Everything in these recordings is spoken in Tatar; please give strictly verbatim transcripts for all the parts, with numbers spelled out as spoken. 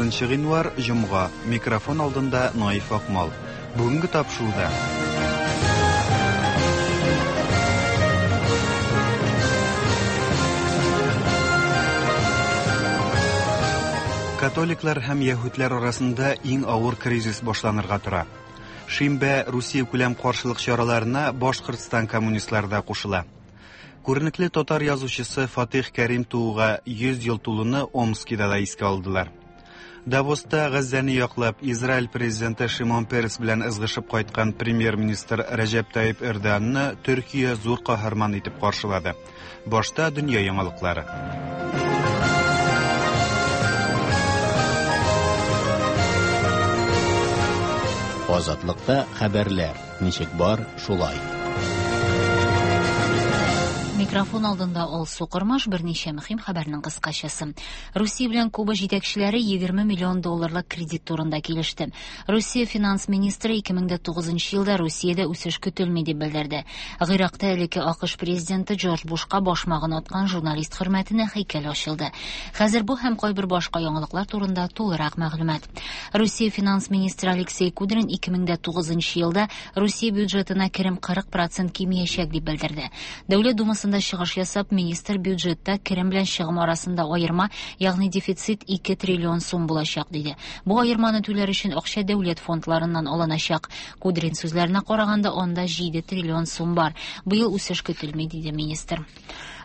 Утызынчы гыйнвар, җомга. Микрофон алдында Наиф Акмал. Бүгенге тапшыруда. Католиклар һәм яһүдләр арасында иң авыр кризис башланырга тора. Шимбә Русия күләм каршылык чараларына Башкортстан коммунистлары да кушыла. Күренекле татар язучысы Фатих Кәрим тууга йөз ел тулуны Омскида да искә алдылар. Давоста Газзәне яклап Израиль президенты Шимон Перес белән ызгышып кайткан премьер-министр Рәҗәп Тайип Эрдоганны Төркия зур каһарман итеп каршылады. Башта дөнья яңалыклары. Азатлыкта хәбәрләр ничек бар, шулай. Микрофон алдында Алсу Кормаш, берничә мөһим хәбәрнең кыскачасы. Русия белән Куба җитәкчеләре егерме миллион долларлык кредит турында килеште. Русия финанс министры ике мең дә тугызынчы елда Русиядә үсеш көтелми дип белдерде. Гыйракта элекке АКШ президенты Джордж Бушка башмагын аткан журналист хөрмәтенә һәйкәл ачылды. Хәзер бу һәм кайбер башка яңалыклар турында тулырак мәгълүмат. Русия финанс министры Алексей Кудрин ике мең дә тугызынчы елда Русия бюджетына керем кырык процент кимиячәк дип белдерде. Дәүләт Думасында чыгыш ясап, министр бюджетта керем белән чыгым арасында аерма, ягъни дефицит ике триллион сум булачак диде. Бу аерманы түләр өчен акча дәүләт фондларыннан алыначак. Кудрин сүзләренә караганда, анда җиде триллион сум бар. Быел үсеш көтелми, диде министр.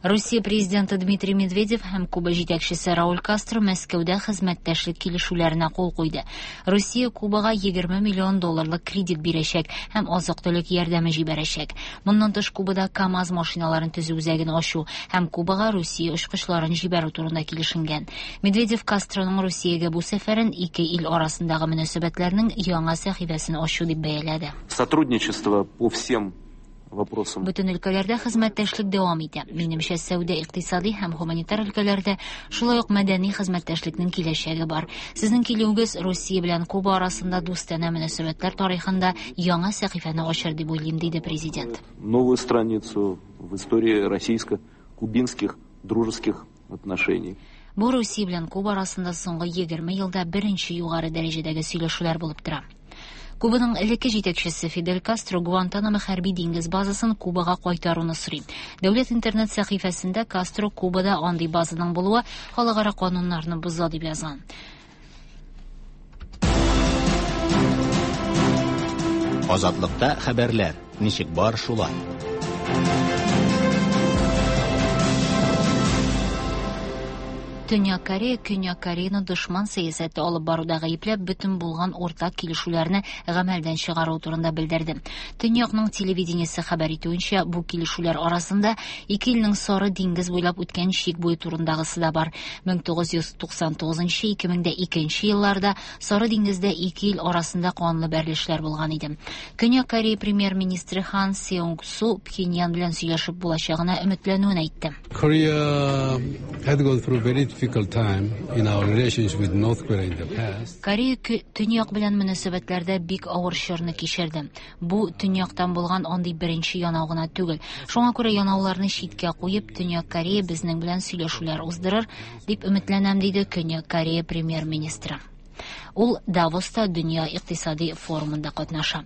Русия президенты Дмитрий Медведев һәм Куба җитәкчесе Рауль Кастро Мәскәүдә хезмәттәшлек килешүләренә кул куйды. Русия Кубага егерме миллион долларлык кредит бирәчәк һәм азык-төлек ярдәме җибәрәчәк. Моннан тыш Кубада КАМАЗ машиналарын төзү үзәген ачу һәм Кубага Русия очкычларын җибәрү турында килешенгән. Медведев Кастроның Русиягә бу сәфәрен ике ил арасындагы мөнәсәбәтләрнең яңа сәхифәсен ачу дип бәяләде. Сотрудничество по всем вопросам. Бөтен өлкәләрдә хезмәттәшлек дәвам итә. Минемчә, сәүдә, икътисади һәм гуманитар өлкәләрдә, шулай ук мәдәни хезмәттәшлекнең киләчәге бар. Сезнең килүегез Русия белән Куба арасында дустанә мөнәсәбәтләр тарихында яңа сәхифәне ачыр дип уйлыйм, диде президент. Новую страницу в истории российско-кубинских дружеских отношений. Бу Русия белән Куба арасында соңгы егерме елда беренче югары дәрәҗәдәге сөйләшүләр булып тора. Кубаның элекке җитәкчесе Фидель Кастро Гуантанамо хәрби диңгез базасын Кубага кайтаруны сорый. Дәүләт интернет сәхифәсендә Кастро Кубада андый базаның булуы халыкара кануннарны боза дип язган. Азатлыкта хәбәрләр ничек бар, шулай. Төньяк Корея Көньяк Кореяны дошман сәясәте алып баруда гаепләп бөтен булган уртак килешүләрне гамәлдән чыгару турында белдерде. Төньякның телевидениесе хәбәр итүенчә, бу килешүләр арасында ике илнең сары диңгез буйлап үткән чик буе турындагысы да бар. Мең тугыз йөз туксан тугызынчы, ике мең дә икенче елларда сары диңгездә ике ил арасында канлы бәрелешләр булган иде. Көньяк Корея премьер-министры Хан Сеунг Су Пхеньян белән сөйләшеп булачагына өметләнүен әйтте. Korea had gone through very difficult time in our relations with North Korea in the past. Корея кө-, төньяк белән мөнәсәбәтләрдә бик авыр чорны кичерде. Бу төньяктан булган андый беренче янау гына түгел. Шуңа күрә янауларны читкә куеп, Төньяк Корея безнең белән сөйләшүләр уздырыр дип өметләнәм, диде Көньяк Корея премьер-министры. Ул Давоста дөнья икътисади форумында катнаша.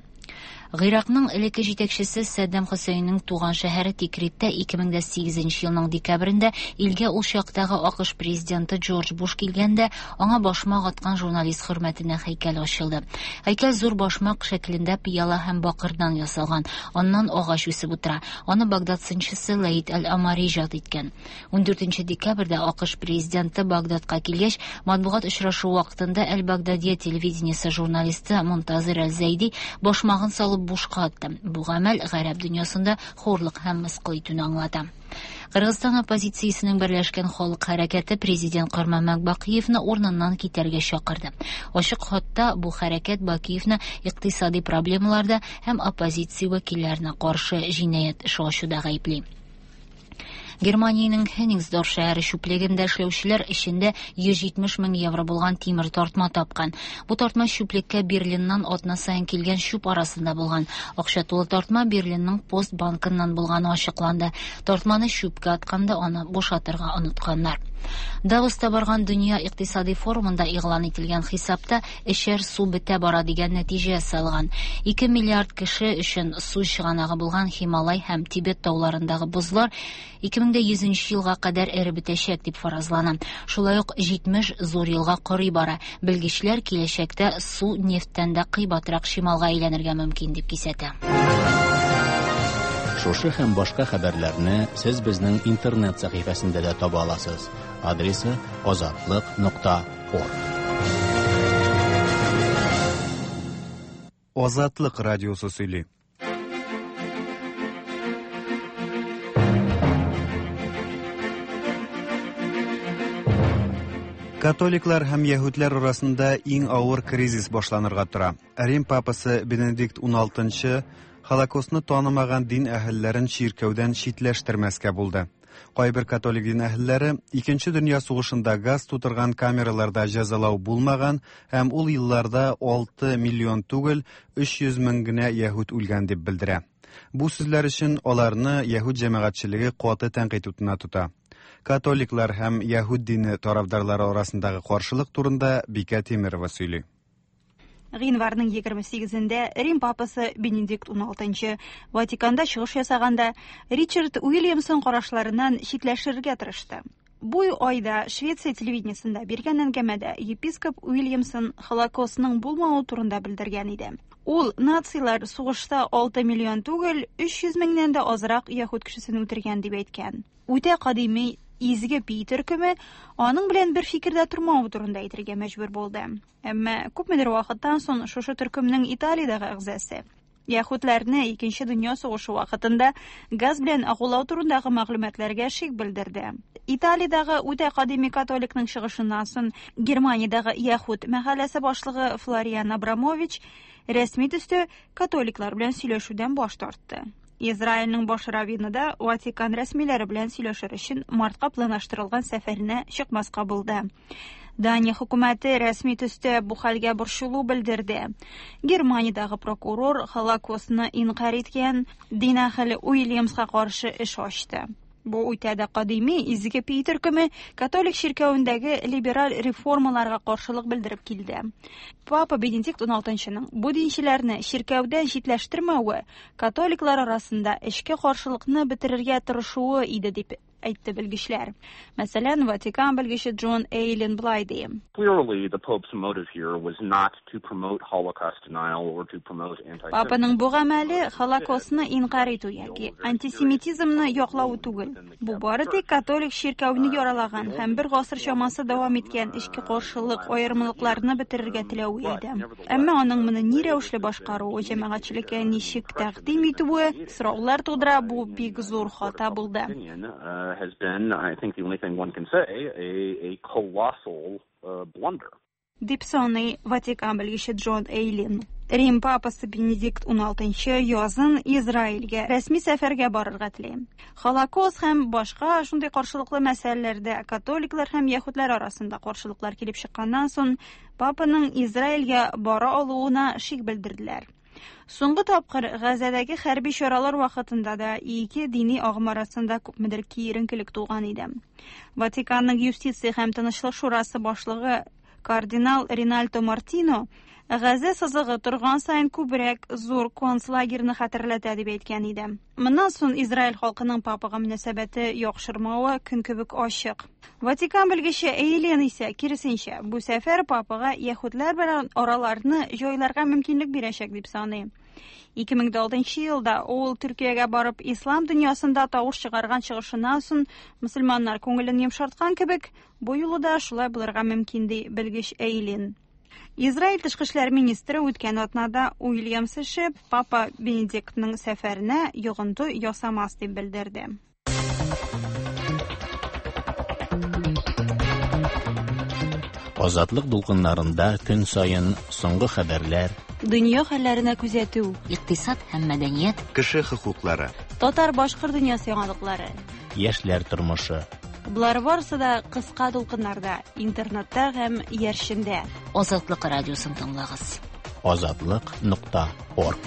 Гыйракның элекке җитәкчесе Саддам Хөсәйннең туган шәһәре Тикриттә ике мең дә сигезенче елның декабрендә илгә ул чактагы АКШ президенты Джордж Буш килгәндә аңа башмак аткан журналист хөрмәтенә һәйкәл ачылды. Һәйкәл зур башмак шәклендә пыяла һәм бакырдан ясалган. Аннан агач үсеп утыра. Аны Багдад сынчысы Лаид Аль-Амари иҗат иткән. Ундүртенче декабрьдә АКШ президенты Багдадка килгәч, матбугат очрашуы вакытында Аль-Багдадия телевидениесе журналисты Мунтазир Аль-Зайди башмагын салып бушка атты. Бу гамәл гарәп дөньясында хурлык һәм мыскыл итүне аңлата. Кыргызстан оппозициясенең берләшкән халык хәрәкәте президент Курманбек Бакиевны урыныннан китәргә чакырды. Ачык хатта бу хәрәкәт Бакиевны икътисади проблемаларда һәм оппозиция вәкилләренә каршы җинаять эше ачуда гаепли. Германиянең Хенниngsdorf шәһәре чүплегендә эшләүчеләр эчендә йөз җитмеш мең евро булган тимер тартма тапкан. Бу тартма чүплеккә Берлиннан атна саен килгән чүп арасында булган. Акча тулы тартма Берлинның Пост банкыннан булганы ачыкланды. Тартманы чүпкә атканда аны бушатырга онытканнар. Давоста барган Дөнья икътисади форумында игълан ителгән хисапта эчәр су бетә бара дигән нәтиҗә ясалган. ике миллиард кеше өчен су чыганагы булган Һималай һәм Тибет тауларындагы бозлар ике мең йөзенче елга кадәр эреп бетәчәк дип фаразлана. Шулай ук җитмеш зур елга корый бара. Белгечләр киләчәктә су нефтьтән дә кыйбатрак чималга әйләнергә мөмкин дип кисәтә. Шушы һәм башка хәбәрләрне сез безнең интернет сәхифәсендә дә таба аласыз. Адресы азатлык нокта орг. Азатлык радиосы сөйли. Католиклар һәм яһүдләр арасында иң авыр кризис башланырга тора. Рим папасы Бенедикт уналтынчы Холокостны танымаган дин әһелләрен чиркәүдән читләштермәскә булды. Кайбер католик дин әһелләре Икенче дөнья сугышында газ тутырган камераларда җәзалау булмаган һәм ул елларда алты миллион түгел, өч йөз мең генә яһүд үлгән дип белдерә. Бу сүзләр өчен аларны яһүд җәмәгатьчелеге каты тәнкыйть утына тота. Католиклар һәм яһүд дине тарафдарлары арасындагы каршылык турында Бикә Тимирова сөйли. Гыйнварның егерме сигезендә Рим папасы Бенедикт уналтынчы Ватиканда чыгыш ясаганда Ричард Уильямсон карашларыннан читләшергә тырышты. Бу айда Швеция телевидениесендә биргән әңгәмәдә епископ Уильямсон Холокостның булмавы турында белдергән иде. Ул нацилар сугышта алты миллион түгел, өч йөз меңнән дә азрак яһүд кешесен үтергән дип әйткән. Үтә кадими Изге Пи төркеме аның белән бер фикердә тормавы турында әйтергә мәҗбүр булды. Әмма күпмедер вакыттан соң шушы төркемнең Италиядәге әгъзасы яһүдләрне Икенче дөнья сугышы вакытында газ белән агулау турындагы мәгълүматларга шик белдерде. Италиядәге үтә кадими католикның чыгышыннан соң Германиядәге яһүд мәхәлләсе башлыгы Флориан Абрамович рәсми төстә католиклар белән сөйләшүдән баш тартты. Израильнең баш раввины да Ватикан рәсмиләре белән сөйләшер өчен мартка планлаштырылган сәфәренә чыкмаска булды. Дания хөкүмәте рәсми төстә бу хәлгә борчылу белдерде. Германиядәге прокурор Холокостны инкарь иткән дин әһеле Уильямска каршы эш ачты. Бу үтә дә кадими Изге Пи төркеме католик чиркәвендәге либераль реформаларга каршылык белдереп килде. Папа Бенедикт уналтынчының бу динчеләрне чиркәүдән читләштермәве католиклар арасында эчке каршылыкны бетерергә тырышуы иде дип әйтте белгечләр. Мәсәлән, Ватикан белгече Джон Эйлин былай ди. Clearly, the Pope's motive here was not to promote Holocaust denial or to promote anti-Semitism. Папаның бу гамәле Холокостны инкарь итү яки антисемитизмны яклау түгел. Бу бары тик католик чиркәүне яралаган һәм бер гасыр чамасы дәвам иткән эчке каршылык аермалыкларны бетерергә теләве иде. Әмма аның моны ни рәвешле башкаруы, җәмәгатьчелеккә ничек тәкъдим итүе сораулар тудыра, бу бик зур хата булды. Has been, I think the only thing one can say, a, a colossal uh, blunder. Дип саный Ватикан белгече Джон Эйлин. Рим папасы Бенедикт уналтынчы язын Израильгә рәсми сәфәргә барырга тели. Холокост һәм башка шундый каршылыклы мәсьәләләрдә католиклар һәм яһүдләр арасында каршылыклар килеп чыкканнан соң папаның Израильгә бара алуына шик белдерделәр. Соңгы тапкыр Газадагы хәрби чаралар вакытында да ике дини агым арасында күпмедер киеренкелек туган иде. Ватиканның юстиция һәм тынычлык шурасы башлыгы кардинал Ринальдо Мартино Газа сызыгы торган саен күбрәк зур концлагерны хәтерләтә дип әйткән иде. Моннан соң Израиль халкының папага мөнәсәбәте яхшырмавы көн кебек ачык. Ватикан белгече Эйлин исә киресенчә, бу сәфәр папага яһүдләр белән араларны җайларга мөмкинлек бирәчәк дип саный. ике мең алтынчы елда ул Төркиягә барып ислам дөньясында тавыш чыгарган чыгышыннан соң мөселманнар күңелен йомшарткан кебек, бу юлы да шулай булырга мөмкин ди белгеч Эйлин. Израиль тышкы эшләр министры үткән атнада Уильямс эше Папа Бенедиктның сәфәренә йогынты ясамас дип белдерде. Азатлык дулкыннарында көн саен соңгы хәбәрләр, дөнья хәлләренә күзәтү, икътисад һәм мәдәният, кеше хокуклары, татар-башкорт дөньясы яңалыклары, яшьләр тормышы. Болар барысы да кыска дулкыннарда, интернетта һәм яршендә. Азатлык радиосын тыңлагыз. Азатлык нокта орг.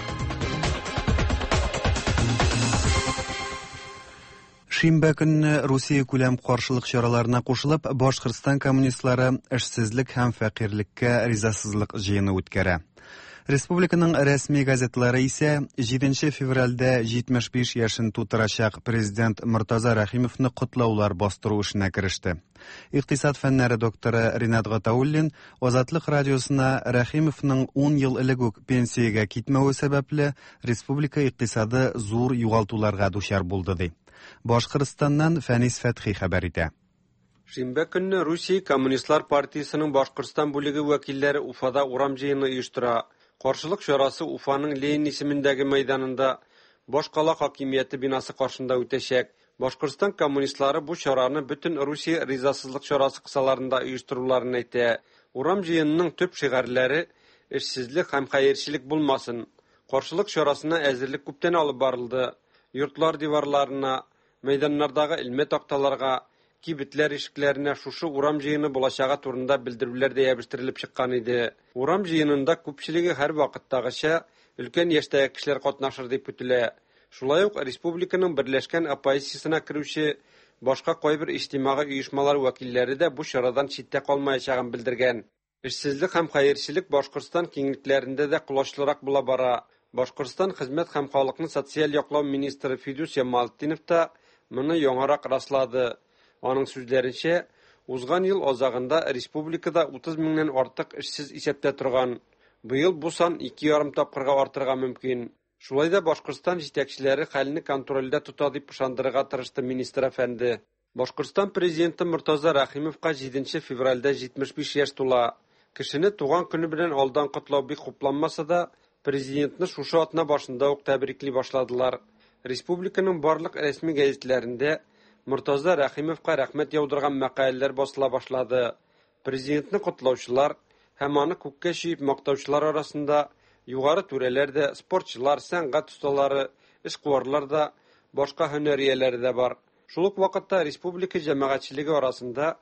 Шимбә көнне Русия күләм каршылык чараларына кушылып, Башкортстан коммунистлары эшсезлек һәм фәкыйрьлеккә ризасызлык җыены үткәрә. Республиканың рәсми газетлары исә җиденче февральдә җитмеш биш яшен тутырачак президент Мортаза Рәхимовны котлаулар бастыру эшенә кереште. Икътисад фәннәре докторы Ринат Гатауллин Азатлык радиосына Рәхимовның ун ел элек үк пенсиягә китмәве сәбәпле республика икътисады зур югалтуларга дучар булды ди. Башкортстаннан Фәнис Фәтхи хәбәр итә. Шимбә көнне Русия Коммунистлар партиясенең Башкортстан бүлеге вәкилләре Уфада урам җыены оештыра. Каршылык чарасы Уфаның Ленин исемендәге мәйданында башкала хакимияте бинасы каршында үтәчәк. Башкортстан коммунистлары бу чараны бөтен Русия ризасызлык чарасы кысаларында оештыруларын әйтә. Урам җыенының төп шигарьләре эшсезлек һәм хәерчелек булмасын. Каршылык чарасына әзерлек күптән алып барылды. Йортлар диварларына, мәйданнардагы элмә такталарга, кибетләр ишекләренә шушы урам җыены булачагы турында белдерүләр дә ябыштерелеп чыккан иде. Урам җыенында күпчелеге һәр вакыттагыча өлкән яшьтәге кешеләр катнашыр дип көтелә. Шулай ук республиканың берләшкән оппозициясенә керүче башка кайбер иҗтимагый оешмалар вәкилләре дә бу чарадан читтә калмаячагын белдергән. Эшсезлек һәм хәерчелек Башкортстан киңлекләрендә дә колачлырак була бара. Башкортстан хезмәт һәм халыкны социаль яклау министры Фидус Ямалтдинов та моны яңарак раслады. Аның сүзләренчә, узган ел азагында республикада утыз меңнән артык эшсез исәптә торган. Быел бу сан ике ярым тапкырга артырга мөмкин. Шулай да Башкортстан җитәкчеләре хәлне контрольдә тота дип ышандырырга тырышты министр әфәнде. Башкортстан президенты Мортаза Рәхимовка җиденче февральдә җитмеш биш яшь тула. Кешене туган көне белән алдан котлау бик хупланмаса да, президентны шушы атна башында ук тәбрикли башладылар. Республиканың барлык рәсми гәзитләрендә Мортаза Рәхимовка рәхмәт яудырган мәкаләләр басыла башлады. Президентны котлаучылар һәм аны күккә чөеп мактаучылар арасында югары түрәләр дә, спортчылар, сәнгать осталары, эшкуарлар да, башка һөнәр ияләре дә бар. Шул ук вакытта республика җәмәгатьчелеге арасында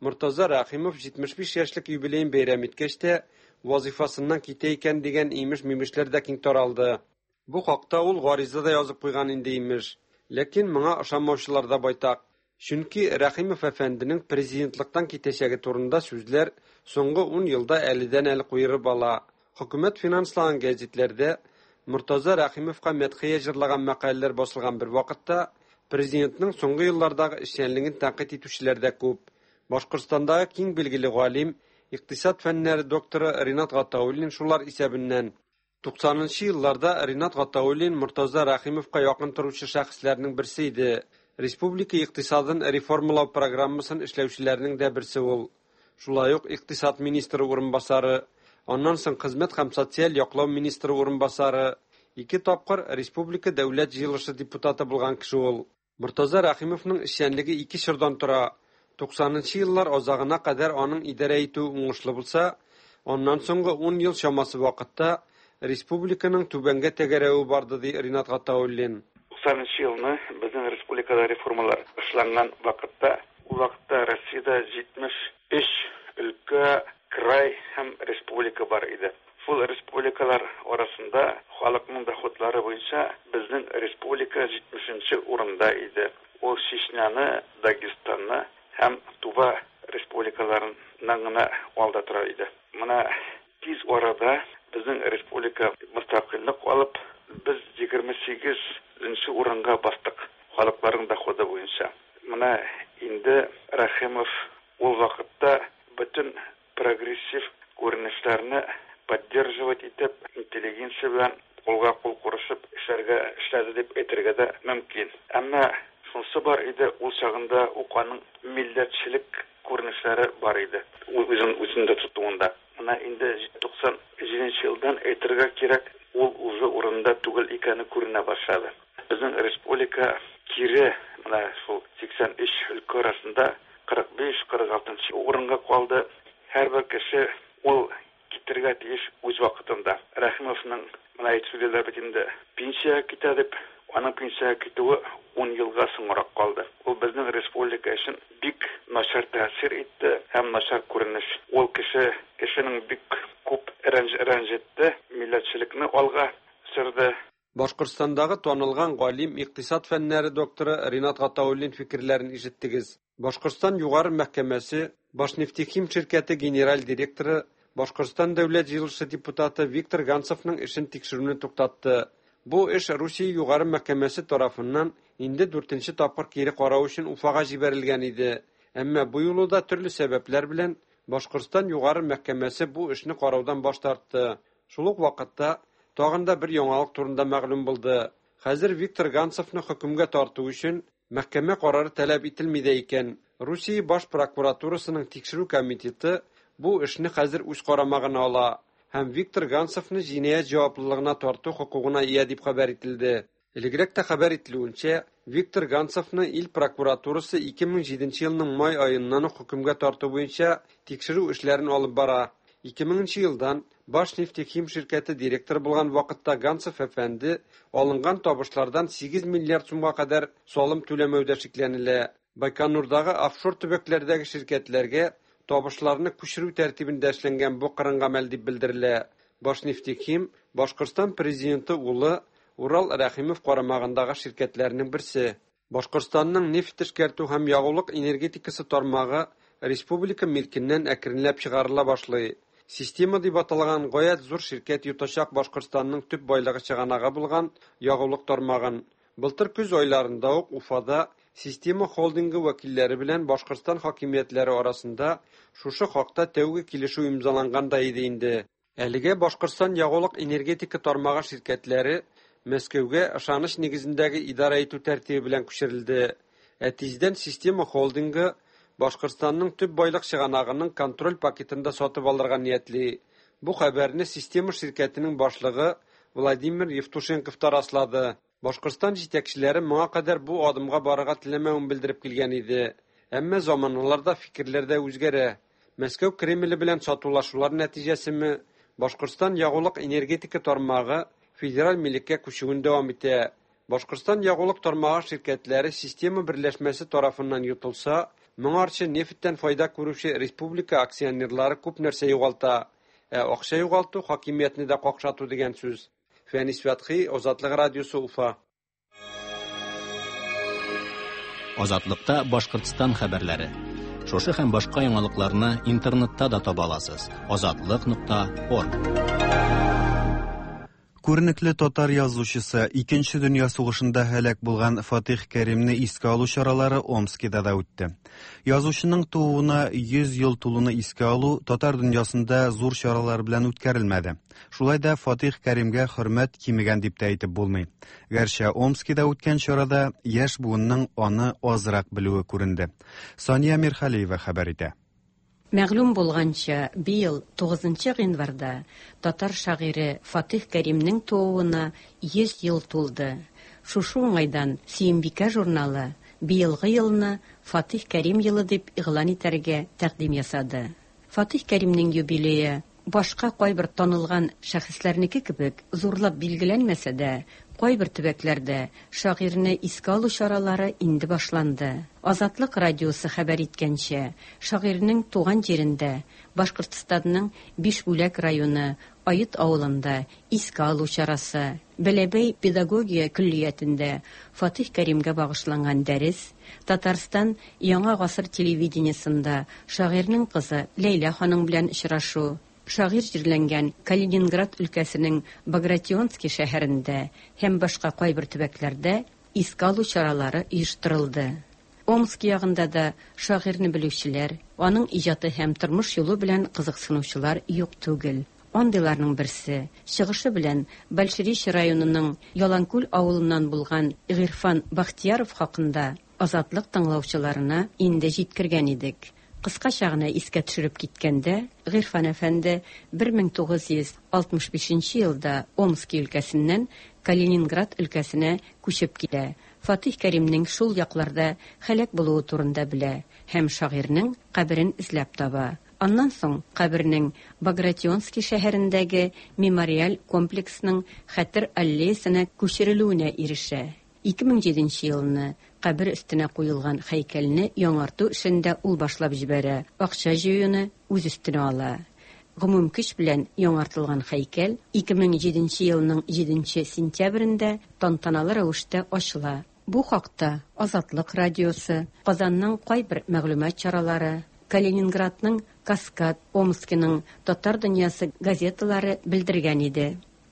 Мортаза Рәхимов җитмеш биш яшьлек юбилеен бәйрәм иткәч тә вазифасыннан китә икән дигән имеш-мимешләр дә киң таралды. Бу хакта ул гариза да язып куйган инде имеш. Ләкин моңа ышанмаучылар да байтак. Чөнки Рәхимов әфәнденең президентлыктан китәчәге турында сүзләр соңгы ун елда әледән-әле куерып ала. Хөкүмәт финанслаган гәзитләрдә Мортаза Рәхимовка мәдхия җырлаган мәкаләләр басылган бер вакытта президентның соңгы еллардагы эшчәнлеген тәнкыйть итүчеләр дә күп. Башкортстандагы киң билгеле галим, икътисад фәннәре докторы Ринат Гатауллин шулар исәбеннән. Туксанынчы елларда Ринат Гатауллин Мортаза Рәхимовка якын торучы шәхесләрнең берсе иде. Республика икътисадын реформалау программасын эшләүчеләрнең дә берсе ул. Шулай ук икътисад министры урынбасары, аннан соң хезмәт һәм социаль яклау министры урынбасары, ике тапкыр республика дәүләт җыелышы депутаты булган кеше ул. Мортаза Рәхимовның эшчәнлеге ике чордан тора. Туксанынчы еллар азагына кадәр аның идарә итүе уңышлы булса, аннан соңгы ун ел чамасы вакытта республиканың түбәнгә тәгәрәве барды, ди Ринат Гатауллин. Туксанынчы елны безнең республикада реформалар эшләнгән вакытта, ул вакытта Россиядә җитмеш өч өлкә, край һәм республика бар иде. Шул республикалар арасында халыкның доходлары буенча безнең республика җитмешенче урында иде. Ул Чечняны, Дагестанны һәм Тува республикаларыннан гына алда тора иде. Менә тиз арада безнең республика мөстәкыйльлек алып, без егерме сигезенче урынга бастык халыкларның доходы буенча. Менә инде Рәхимов ул вакытта бөтен прогрессив күренешләрне поддерживать итеп, интеллигенция белән кулга кул курышып эшләргә эшләде дип әйтергә дә мөмкин. Әмма шунысы бар иде, ул чагында ук аның милләтчелек күренешләре бар иде. Ул үзен үзендә тотуында. Менә инде туксан җиденче елдан әйтергә кирәк, ул уже урында түгел икәне күренә башлады. Безнең республика кире менә шул сиксән өч өлкә арасында кырык биш, кырык алтынчы урынга калды. Һәрбер кеше ул китергә тиеш үз вакытында. Рәхимовның менә әйтеп сөйлиләр бит инде, пенсиягә китә дип, аның пенсиягә китүе ун елга соңрак калды. Ул безнең республика өчен бик начар тәэсир итте һәм начар күренеш. Ул кеше кешенең бик күп рәнҗ-, рәнҗетте, милләтчелекне алга сөрде. Башкортстандагы танылган галим, икътисад фәннәре докторы Ринат Гатауллин фикерләрен ишеттегез. Башкортстан Югары мәхкәмәсе Башнефтехим ширкәте генераль директоры, Башкортстан Дәүләт җыелышы депутаты Виктор Ганцевның эшен тикшерүне туктатты. Бу эш Русия Югары мәхкәмәсе тарафыннан инде дүртенче тапкыр кире карау өчен Уфага җибәрелгән иде. Әмма бу юлы да төрле сәбәпләр белән Башкортстан Югары мәхкәмәсе бу эшне караудан баш тартты. Шул ук вакытта тагын да бер яңалык турында мәгълүм булды. Хәзер Виктор Ганцевны хөкемгә тарту өчен мәхкәмә карары таләп ителми дә икән. Русия баш прокуратурасының тикшерү комитеты бу эшне хәзер үз карамагына ала һәм Виктор Ганцевны җинаять җаваплылыгына тарту хокукына ия дип хәбәр ителде. Элегрәк тә хәбәр ителүенчә, Виктор Ганцевны ил прокуратурасы ике мең җиденче елның май аеннан ук хөкемгә тарту буенча тикшерү эшләрен алып бара. Ике меңенче елдан Башнефтехим ширкәте директоры булган вакытта Ганцев әфәнде алынган табышлардан сигез миллиард сумга кадәр салым түләмәүдә шикләнелә. Байконурдагы офшор төбәкләрдәге ширкәтләргә табышларны күчерү тәртибендә эшләнгән бу кырын гамәл дип белдерелә. Башнефтехим Башкортстан президенты улы Урал Рәхимов карамагындагы ширкәтләрнең берсе. Башкортстанның нефть эшкәртү һәм ягулык энергетикасы тармагы республика милкеннән әкренләп чыгарыла башлый. Система дип аталган гаять зур ширкәт йотачак Башкортстанның төп байлыгы чыганагы булган ягулык тармагын. Былтыр көз айларында ук Уфада Система холдингы вәкилләре белән Башкортстан хакимиятләре арасында шушы хакта тәүге килешү имзаланган да иде инде. Әлегә Башкортстан ягулык энергетика тармагы ширкәтләре Мәскәүгә ышаныч нигезендәге идарә итү тәртибе белән күчерелде. Ә тиздән Система холдингы Башкортстанның төп байлык чыганагының контроль пакетын да сатып алырга ниятли. Бу хәбәрне Система ширкәтенең башлыгы Владимир Евтушенков та раслады. Башкортстан җитәкчеләре моңа кадәр бу адымга барырга теләмәвен белдереп килгән иде. Әмма заманаларда фикерләр дә үзгәрә. Мәскәү Кремле белән сатулашулар нәтиҗәсеме Башкортстан ягулык энергетика тармагы федераль милеккә күчүен дәвам итә. Башкортстан ягулык тармагы ширкәтләре система берләшмәсе тарафыннан йотылса, моңарчы нефтьтән файда күрүче республика акционерлары күп нәрсә югалта. Ә акча югалту хакимиятне дә какшату дигән сүз. Фәнис Фәтхи, Азатлык радиосы, Уфа. Азатлыкта Башкортстан хәбәрләре. Шушы һәм башка яңалыкларны интернетта да таба аласыз. Азатлык нокта орг. Күренекле татар язучысы, Икенче дөнья сугышында һәлак булган Фатих Кәримне искә алу чаралары Омскида да үтте. Язучының тууына йөз ел тулуны искә алу татар дөньясында зур чаралар белән үткәрелмәде. Шулай да Фатих Кәримгә хөрмәт кимегән дип тә әйтеп булмый. Гәрчә Омскида үткән чарада яшь буынның аны азрак белүе күренде. Сания Мирхалиева хәбәр итә. Мәгълүм булганча, быел тугызынчы гыйнварда татар шагыйре Фатих Кәримнең тууына йөз ел тулды. Шушы уңайдан Сөембикә журналы быелгы елны Фатих Кәрим елы дип игълан итәргә тәкъдим ясады. Фатих Кәримнең юбилее башка кайбер танылган шәхесләрнеке кебек зурлап билгеләнмәсә дә, кайбер төбәкләрдә шагыйрьне искә алу чаралары инде башланды. Азатлык радиосы хәбәр иткәнчә, шагыйрьнең туган җирендә, Башкортстанның Бишбүләк районы Айыт авылында искә алу чарасы, Бәләбәй педагогия көллиятендә Фатих Кәримгә багышланган дәрес, Татарстан Яңа гасыр телевидениесында шагыйрьнең кызы Ләйлә ханым белән очрашу, шагыйрь җирләнгән Калининград өлкәсенең Багратионский шәһәрендә һәм башка кайбер төбәкләрдә искә алу чаралары оештырылды. Омск ягында да шагыйрьне белүчеләр, аның иҗаты һәм тормыш юлы белән кызыксынучылар юк түгел. Андыйларның берсе, чыгышы белән Большеречье районының Яланкүл авылыннан булган Гыйрфан Бахтияров хакында Азатлык тыңлаучыларына инде җиткергән идек. Кыскача гына искә төшереп киткәндә, Гыйрфан әфәнде бер мең тугыз йөз алтмыш бишенче елда Омски өлкәсеннән Калининград өлкәсенә күчеп килә. Фатих Кәримнең шул якларда һәлак булуы турында белә һәм шагыйрьнең каберен эзләп таба. Аннан соң кабернең Багратионский шәһәрендәге мемориаль комплексның хәтер аллеясына күчерелүенә ирешә. Ике мең җиденче елны кабер өстенә куелган һәйкәлне яңарту эшен дә ул башлап җибәрә, акча җыюны үз өстенә ала. Гомум көч белән яңартылган һәйкәл ике мең җиденче елның җиденче сентябрендә тантаналы рәвештә ачыла. Бу хакта Азатлык радиосы, Казанның кайбер мәгълүмат чаралары, Калининградның Каскад, Омскиның Татар дөньясы газеталары белдергән иде.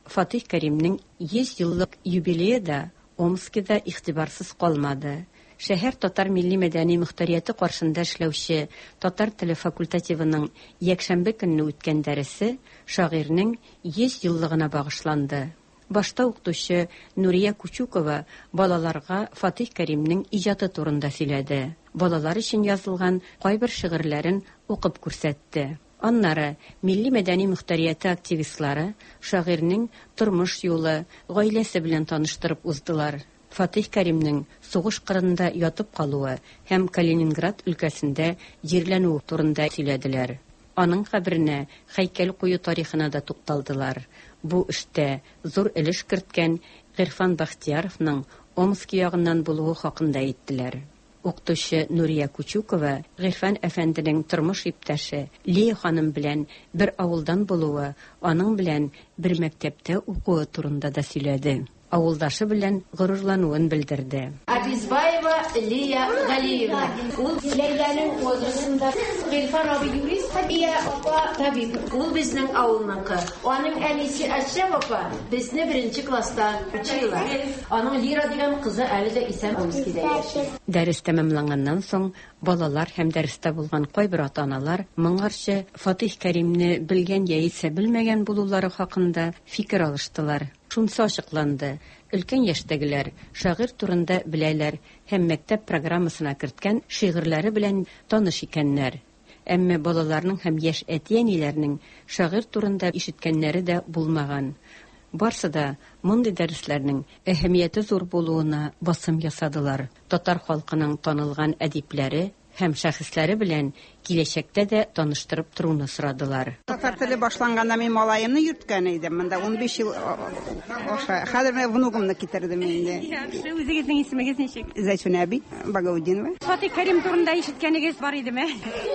Фатих Кәримнең йөз еллык юбилее да Омскида игътибарсыз калмады. Шәһәр татар милли мәдәни мөхтәрияте каршында эшләүче татар теле факультативының якшәмбе көнне үткән дәресе шагыйрьнең йөз еллыгына багышланды. Башта укытучы Нурия Кучукова балаларга Фатих Кәримнең иҗаты турында сөйләде. Балалар өчен язылган кайбер шигырьләрен укып күрсәтте. Аннары милли мәдәни мөхтәрияте активистлары шагыйрьнең тормыш юлы, гаиләсе белән таныштырып уздылар. Фатих Кәримнең сугыш кырында ятып калуы һәм Калининград өлкәсендә җирләнүе турында сөйләделәр. Аның каберенә һәйкәл кую тарихына да тукталдылар. Бу эштә зур өлеш керткән Гыйрфан Бахтияровның Омски ягыннан булуы хакында әйттеләр. Укытучы Нурия Кучукова Гыйрфан әфәнденең тормыш иптәше Лия ханым белән бер авылдан булуы, аның белән бер мәктәптә укуы турында да сөйләде. Авылдашы белән горурлануын белдерде. Абизбаева Лия Галиевна. Ул Ләйләнең возрастында. Гыйрфан абый юрист, Лия апа табиб. Ул безнең авылныкы. Аның әнисе Әшрәф апа безне беренче класста учила. Аның Лира дигән кызы әле дә исән Омскида яши. Дәрес тәмамланганнан соң балалар һәм дәрестә булган кайбер ата-аналар моңарчы Фатих Кәримне белгән яисә белмәгән булулары хакында фикер алыштылар. Шунысы ачыкланды: өлкән яшьтәгеләр шагыйрь турында беләләр һәм мәктәп программасына керткән шигырьләре белән таныш икәннәр. Әмма балаларның һәм яшь әти-әниләрнең шагыйрь турында ишеткәннәре дә булмаган. Барсы да мондый дәресләрнең әһәмияте зур булуына басым ясадылар. Татар халкының танылган әдипләре һәм шәхесләре белән киләчәктә дә таныштырып торуны сорадылар. Татар теле башланганда мин малаемны йөрткән идем. Монда ун биш ел аша. Хәзер менә внугымны китердем инде. Яхшы, үзегезнең исемегез ничек? Зәйтүнә әби Багаудинова. Фатих Кәрим турында ишеткәнегез бар идеме?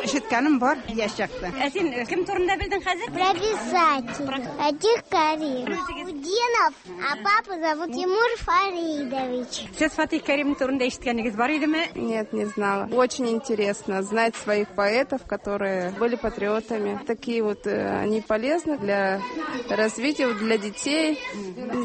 Ишеткәнем бар, яшь чакта. Ә син кем турында белдең хәзер? Про писателя. Фатих Кәрим. Удинов, а папу зовут Тимур Фаридович. Сез Фатих Кәрим турында ишеткәнегез бар идеме? Нет, не знала. Очень интересно знать своих поэтов, которые были патриотами. Такие вот они полезны для развития, для детей,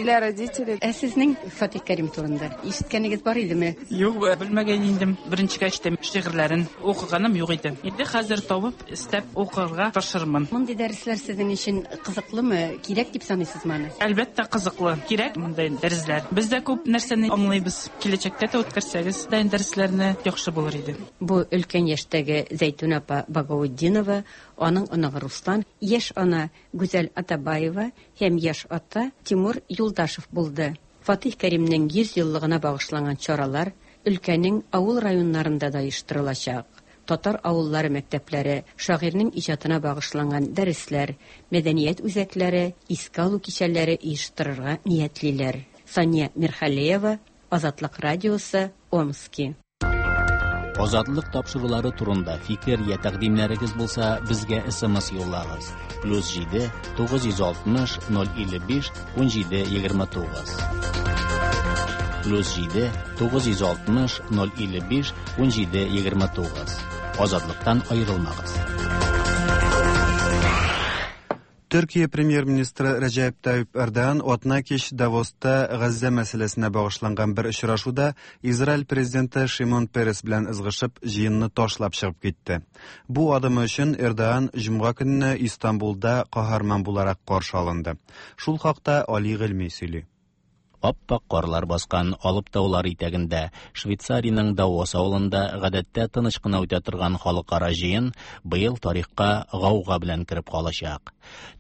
для родителей. Ә сезнең Фатих Кәрим турында ишеткәнегез бар идеме? Юк, белмәгән идем. Беренчегә ишетәм, шигырьләрен укыганым юк иде. Инде хәзер табып, эстәп укырга тырышырмын. Мондый дәресләр сезнең өчен кызыклымы? Кирәк дип саныйсызмы аны? Әлбәттә, кызыклы. Кирәк мондай дәресләр. Без дә күп нәрсәне аңлыйбыз. Киләчәктә дә үткәрсәгез, дәресләрне яхшы булыр иде. Бу өлкән яшьтәге Зәйтүнә апа Багаудинова, аның оныгы Руслан, яшь ана Гүзәл Атабаева һәм яшь ата Тимур Юлдашев булды. Фатих Кәримнең йөз еллыгына багышланган чаралар өлкәнең авыл районнарында да оештырылачак. Татар авыллары мәктәпләре, шагыйрьнең иҗатына багышланган дәресләр, мәдәният үзәкләре, искә алу кичәләре оештырырга ниятлиләр. Сания Мирхалеева, Азатлык радиосы, Омски. Азатлык тапшырулары турында фикер я тәкъдимнәрегез булса, безгә С М С юллагыз. Плюс җиде тугыз йөз алтмыш ноль илле биш ун җиде егерме тугыз. Плюс җиде тугыз йөз алтмыш ноль илле биш ун җиде егерме тугыз. Азатлыктан аерылмагыз. Төркия премьер-министры Рәҗәп Тайип Эрдоган атна кич Давоста Газзә мәсьәләсенә багышланган бер очрашуда Израиль президенты Шимон Перес белән ызгышып җыенны ташлап чыгып китте. Бу адымы өчен Эрдоган җомга көнне Истанбулда каһарман буларак каршы алынды. Шул хакта Али Гыйльми сөйли. Аппак карлар баскан Алып таулар итәгендә Швейцариянең Давос авылында гадәттә тыныч кына үтә торган халыкара җыен быел тарихка гауга белән кереп калачак.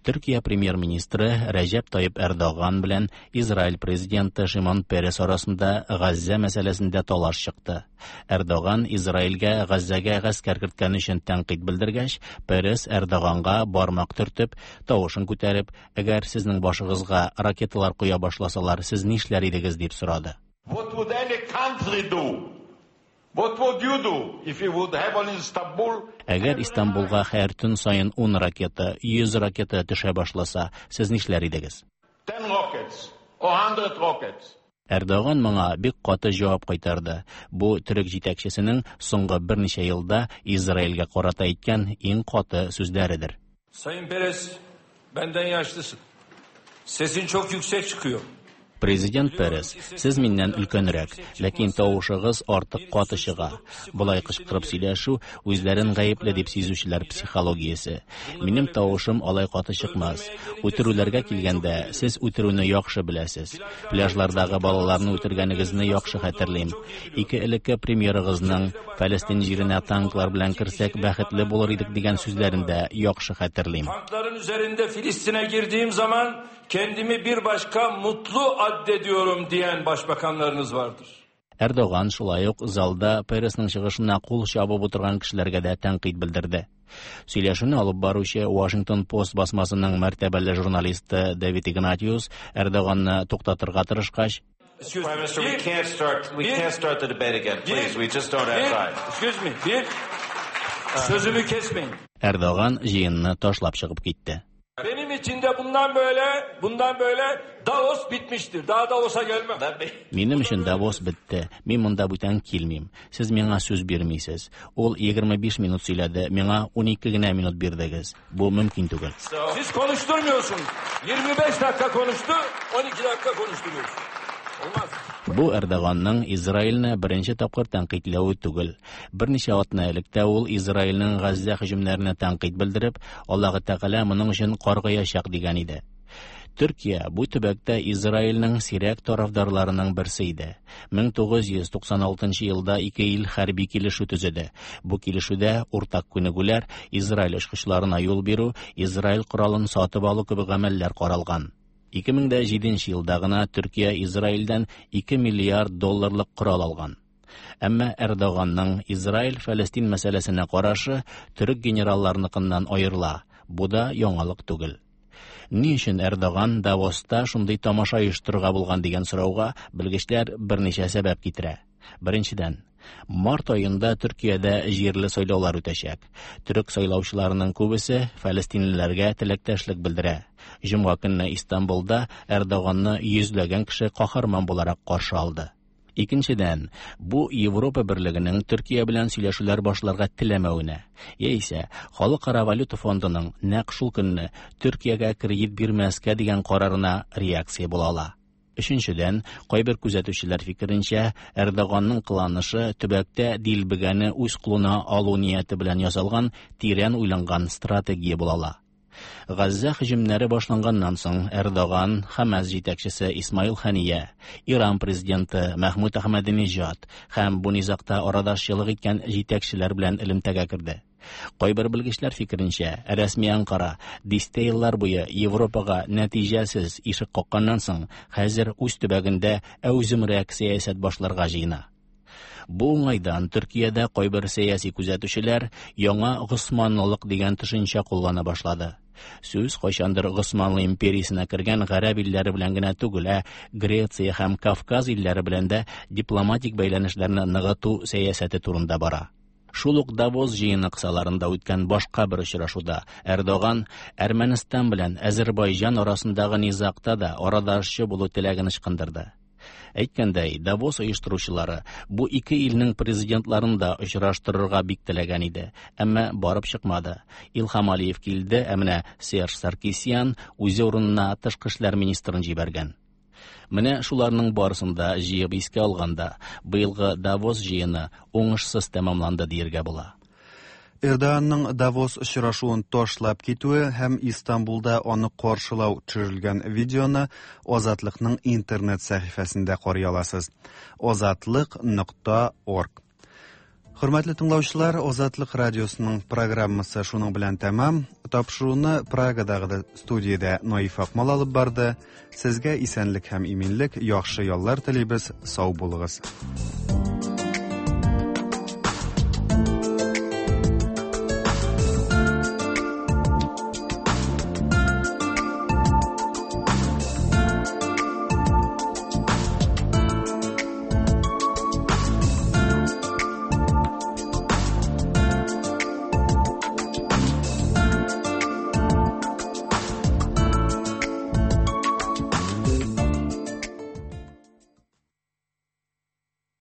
Төркия премьер-министры Рәҗәп Тайип Эрдоган белән Израиль президенты Шимон Перес арасында Газзә мәсьәләсендә талаш чыкты. Эрдоган Израильгә Газзәгә гаскәр керткән өчен тәнкыйть белдергәч, Перес Эрдоганга бармак төртеп, тавышын күтәреп, әгәр сезнең башыгызга ракеталар коя башласалар, сез нишләр идегез дип сорады. What would any country do What would you do if you would have on Istanbul? Әгәр Истанбулга һәр төн саен ун ракета, йөз ракета төшә башласа, сез нишләр идегез? Ten rockets or hundred rockets. Эрдоган моңа бик каты җавап кайтарды. Бу төрек җитәкчесенең соңгы берничә елда Израильгә карата әйткән иң каты сүзләредер. Sayın Peres, benden yaşlısın. Sesin çok yüksek çıkıyor. Президент Перес, сез миннән өлкәнрәк, ләкин тавышыгыз артык каты чыга. Болай кычкырып сөйләшү үзләрен гаепле дип сизүчеләр психологиясе. Минем тавышым алай каты чыкмас. Үтерүләргә килгәндә, сез үтерүне яхшы беләсез. Пляжлардагы балаларны үтергәнегезне яхшы хәтерлим. Ике элекке премьерыгызның Фәлестин җиренә танклар белән керсәк бәхетле булыр идек дигән сүзләрен дә яхшы хәтерлим. Tankların üzerinde Filistin'e girdiğim zaman kendimi bir başka mutlu addediyorum diyen başbakanlarınız vardır. Эрдоган шулай ук залда Пересның чыгышына кул чабып утырган кешеләргә дә тәнкыйть белдерде. Сөйләшүне алып баручы Washington Post басмасының мәртәбәле журналисты Дэвид Игнатиус Эрдоганны туктатырга тырышкач, Prime Minister, we can't start. We can't start the debate again, please. We just don't have time. Excuse me. Bir, sözümü kesmeyin. Эрдоган җыенны ташлап чыгып китте. Benim için de bundan böyle, bundan böyle Davos bitmiştir. Daha Davos'a gelmem. Минем өчен Давос бетте. Мин монда бүтән килмим. Сез миңа сүз бирмисез. Ул егерме биш минут сөйләде, миңа унике генә минут бирдегез. Бу мөмкин түгел. Siz konuşturmuyorsunuz. Yirmi beş dakika konuştu, on iki dakika konuşturuyorsunuz. Olmaz. Бу Эрдоганның Израильне беренче тапкыр тәнкыйтьләве түгел. Берничә атна элек тә ул Израильнең Газзә һөҗүмнәренә тәнкыйть белдереп, Аллаһы Тәгалә моның өчен каргаячак дигән иде. Төркия бу төбәктә Израильнең сирәк тарафдарларының берсе иде. Мең тугыз йөз туксан алтынчы елда ике ил хәрби килешү төзеде. Бу килешүдә уртак күнегүләр, Израиль очкычларына юл бирү, Израиль коралын сатып алу кебек гамәлләр каралган. Ике мең дә җиденче елда гына Төркия Израильдән ике миллиард долларлык корал алган. Әмма Эрдоганның Израиль-Фәлестин мәсьәләсенә карашы төрек генералларыныкыннан аерыла. Бу да яңалык түгел. Ни өчен Эрдоган Давоста шундый тамаша оештырырга булган дигән сорауга белгечләр берничә сәбәп китерә. Беренчедән, март аенда Төркиядә җирле сайлаулар үтәчәк. Төрек сайлаучыларының күбесе фәлестинлеләргә теләктәшлек белдерә. Җомга көнне Истанбулда Эрдоганны йөзләгән кеше каһарман буларак каршы алды. Икенчедән, бу Европа берлегенең Төркия белән сөйләшүләр башларга теләмәвенә, яисә Халыкара валюта фондының нәкъ шул көнне Төркиягә кредит бирмәскә дигән карарына реакция була ала. Өченчедән, кайбер күзәтүчеләр фикеренчә, Эрдоганның кыланышы төбәктә дилбегәне үз кулына алу нияте белән ясалган тирән уйланган стратегия була ала. Газзә һөҗүмнәре башланганнан соң Эрдоган, Хамас җитәкчесе Исмаил Хания, Иран президенты Мәхмүд Ахмадинежад һәм бу низагта арадашчылык иткән җитәкчеләр белән элемтәгә керде. Кайбер белгечләр фикеренчә, рәсми Анкара дистә еллар буе Европага нәтиҗәсез ишек какканнан соң, хәзер үз төбәгендә әүземрәк сәясәт башларга җыена. Бу уңайдан Төркиядә кайбер сәяси күзәтүчеләр яңа Госманлылык дигән төшенчә куллана башлады. Сүз кайчандыр Госманлы империясенә кергән гарәп илләре белән генә түгел, ә Греция һәм Кавказ илләре белән дә дипломатик бәйләнешләрне ныгыту сәясәте турында бара. Шул ук Давос җыены кысаларында үткән башка бер очрашуда Эрдоган Әрмәнстан белән Азербайҗан арасындагы низагта да арадашчы булу теләген ычкындырды. Әйткәндәй, Давос оештыручылары бу ике илнең президентларын да очраштырырга бик теләгән иде, әмма барып чыкмады. Илһам Алиев килде, ә менә Серж Саркисян үзе урынына тышкы эшләр министрын җибәргән. Менә шуларның барысын да җыеп искә алганда, быелгы Давос җыены уңышсыз тәмамланды дияргә була. Эрдоганның Давос очрашуын ташлап китүе һәм Истанбулда аны каршылау төшерелгән видеоны Азатлыкның интернет сәхифәсендә карый аласыз. Азатлык нокта орг. Хөрмәтле тыңлаучылар, Азатлык радиосының программасы шуның белән тәмам. Тапшыруны Прагадагы студиядә Наиф Акмал алып барды. Сезгә исәнлек һәм иминлек, яхшы яллар телибез. Сау булыгыз.